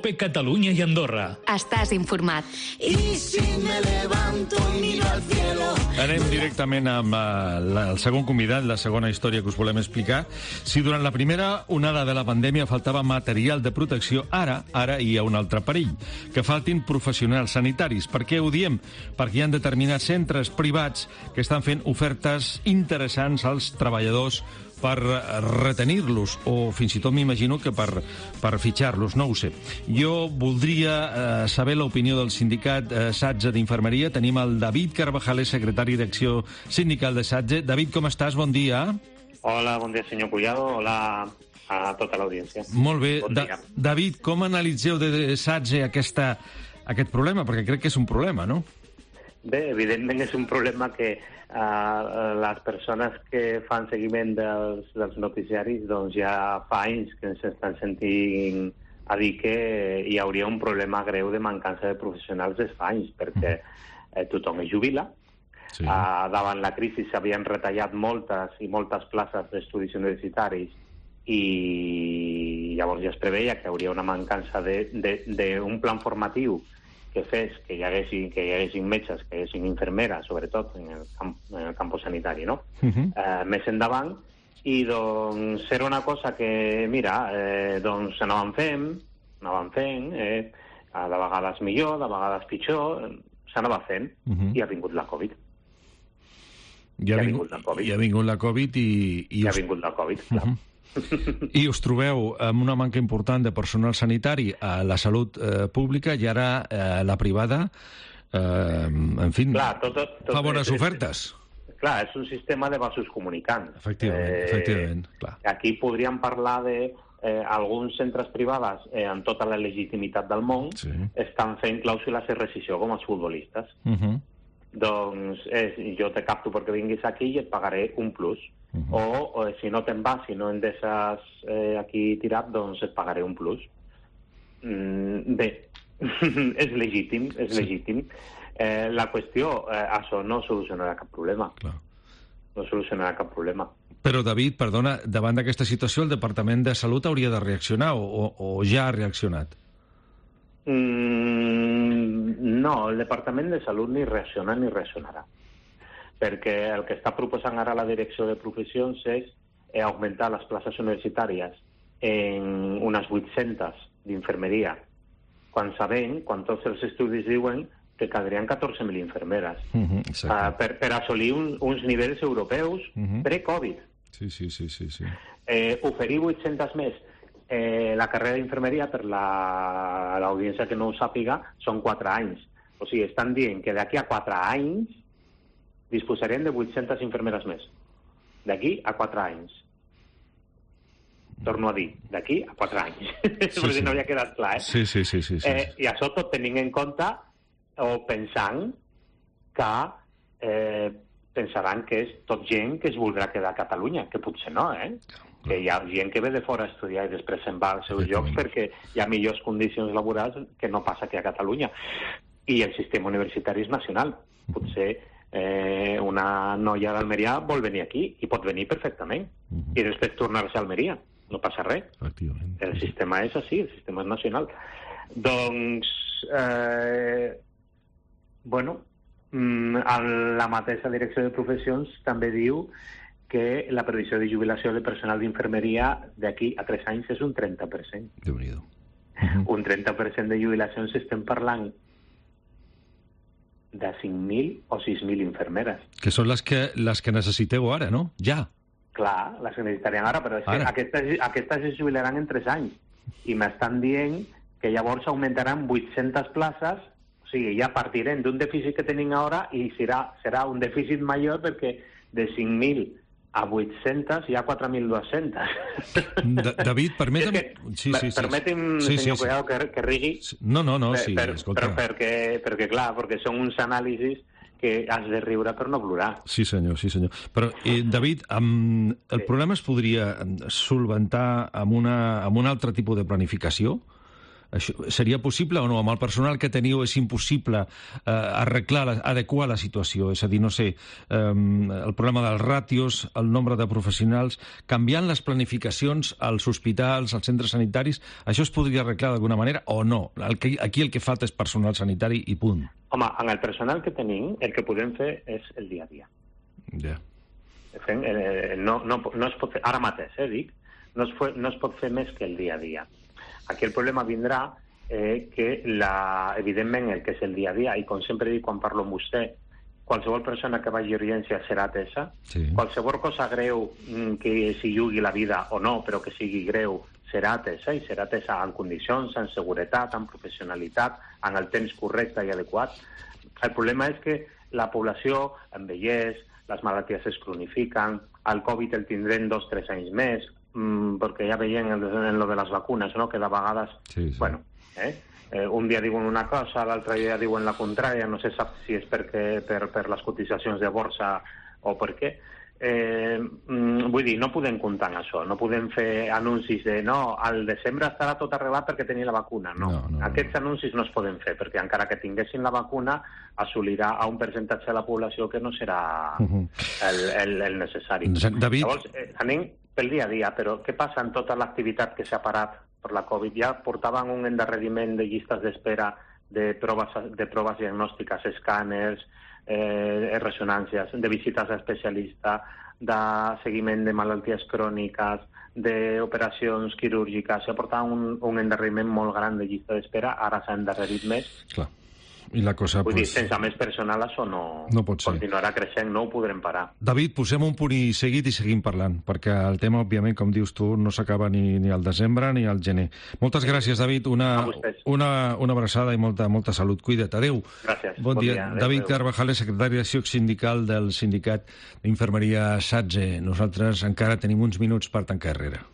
Catalunya i Andorra. Estàs informat. Y si me levanto y miro al cielo. Anem directament amb el segon convidat, la segona història que us volem explicar. Si durant la primera onada de la pandèmia faltava material de protecció, ara hi ha un altre perill, que faltin professionals sanitaris. Per què ho diem? Perquè hi ha determinats centres privats que estan fent ofertes interessants als treballadors per retenir-los, o fins i tot m'imagino que per fitxar-los, no ho sé. Jo voldria saber l'opinió del sindicat SATSE d'Infermeria. Tenim el David Carvajales, secretari d'acció sindical de SATSE. David, com estàs? Bon dia. Hola, bon dia, senyor Collado. Hola a tota l'audiència. Molt bé. Bon dia. David, com analitzeu de SATSE aquest problema? Perquè crec que és un problema, no? Bé, evidentment és un problema que les persones que fan seguiment dels noticiaris doncs ja fa anys que ens estan sentint a dir que hi hauria un problema greu de mancança de professionals des fa anys, perquè tothom es jubila. Sí. Davant la crisi s'havien retallat moltes i moltes places d'estudis universitaris i llavors ja es preveia que hi hauria una mancança d'un plan formatiu que fes que hi haguessin metges, que hi haguessin infermeres, sobretot en el camp sanitari, no? Més endavant, i doncs era una cosa que, mira, doncs anàvem fent, de vegades millor, de vegades pitjor, s'anava fent, i ha vingut la Covid. I ha vingut la Covid i ha vingut la Covid, clar. I us trobeu amb una manca important de personal sanitari a la salut pública i ara la privada, en fi, fa bones ofertes. Clar, és un sistema de vasos comunicants. Efectivament, clar. Aquí podríem parlar de alguns centres privats amb tota la legitimitat del món estan fent clàusules de rescissió com els futbolistes. Doncs jo te capto perquè vinguis aquí i et pagaré un plus. O si no te'n vas, si no em deixes aquí tirat, doncs et pagaré un plus. Bé, és legítim. La qüestió, això no solucionarà cap problema. No solucionarà cap problema. Però, David, perdona, davant d'aquesta situació el Departament de Salut hauria de reaccionar o ja ha reaccionat? No, el Departament de Salut ni reacciona ni reaccionarà. Perquè el que està proposant ara la Direcció de Professions és augmentar les places universitàries en unes 800 d'infermeria, quan tots els estudis diuen que caldrien 14.000 infermeres per assolir uns nivells europeus pre-Covid. Sí. Oferir 800 més la carrera d'infermeria, per l'audiència que no ho sàpiga, són 4 anys. O sigui, estan dient que d'aquí a 4 anys disposarem de 800 infermeres més. D'aquí a 4 anys. Torno a dir, d'aquí a 4 anys. Perquè no havia quedat clar, Sí. I això tot tenint en compte o pensant que pensaran que és tot gent que es voldrà quedar a Catalunya, que potser no, que hi ha gent que ve de fora a estudiar i després se'n va als seus llocs perquè hi ha millors condicions laborals que no passa aquí a Catalunya. I el sistema universitari és nacional. Potser una noia d'Almeria vol venir aquí i pot venir perfectament i després tornar-se a Almeria, no passa res. El sistema és així, el sistema és nacional. Doncs la mateixa Direcció de Professions també diu que la previsió de jubilació de personal d'infermeria d'aquí a 3 anys és un 30%. Déu-n'hi-do. Un 30% de jubilacions estem parlant de 5.000 o 6.000 infermeres. Que són les que necessiteu ara, no? Ja. Clar, les que necessitarien ara, però és que aquestes es jubilaran en 3 anys. I m'estan dient que llavors augmentaran 800 places, o sigui, ja partirem d'un dèficit que tenim ara i serà un dèficit major perquè de 5.000 a 800 hi ha 4.200. David, permeti'm... Permeti'm, senyor Collado, que rigui. No, sí, escolta. Perquè són uns anàlisis que has de riure per no plorar. Sí, senyor. Però, David, el problema es podria solventar amb un altre tipus de planificació? Això seria possible o no? Amb el personal que teniu és impossible adequar la situació, és a dir, no sé, el problema dels ràtios, el nombre de professionals, canviant les planificacions als hospitals, als centres sanitaris, això es podria arreglar d'alguna manera o no? Aquí el que falta és personal sanitari i punt. Home, amb el personal que tenim, el que podem fer és el dia a dia. Ja. No es pot fer, ara mateix, dic, no es pot fer més que el dia a dia. Aquí el problema vindrà que, evidentment, el que és el dia a dia, i com sempre dic quan parlo amb vostè, qualsevol persona que vagi a urgència serà atesa, qualsevol cosa greu que s'hi jugui la vida o no, però que sigui greu, serà atesa, i serà atesa en condicions, en seguretat, en professionalitat, en el temps correcte i adequat. El problema és que la població envelleix, les malalties es cronifiquen, el Covid el tindrem 2 o 3 anys més, perquè ja veiem en lo de les vacunes, no? Que de vegades, bueno, un dia diuen una cosa, l'altre dia diuen la contrària, no se sap si és per les cotitzacions de borsa o per què. Vull dir, no podem comptar amb això, no podem fer anuncis de no, al desembre estarà tot arreglat perquè tenia la vacuna, no. Aquests anuncis no es poden fer, perquè encara que tinguessin la vacuna assolirà a un percentatge de la població que no serà el necessari. David... Llavors, anem pel dia a dia, però què passa en tota l'activitat que s'ha parat per la Covid? Ja portaven un endarreriment de llistes d'espera de proves diagnòstiques, escàners, ressonàncies, de visites a especialistes, de seguiment de malalties cròniques, d'operacions quirúrgiques. S'ha portat un endarreriment molt gran de llista d'espera, ara s'ha endarrerit més. Clar. I la cosa, vull dir, sense més personal això no pot ser. Continuarà creixent, no ho podrem parar. David, posem un punt i seguit i seguim parlant, perquè el tema, òbviament, com dius tu, no s'acaba ni al desembre ni al gener. Moltes gràcies, David. Una abraçada i molta salut. Cuida't. Adéu. Gràcies. Bon dia. Adéu, David Carvajales, secretari d'acció sindical del sindicat d'infermeria SATSE. Nosaltres encara tenim uns minuts per tancar herrera.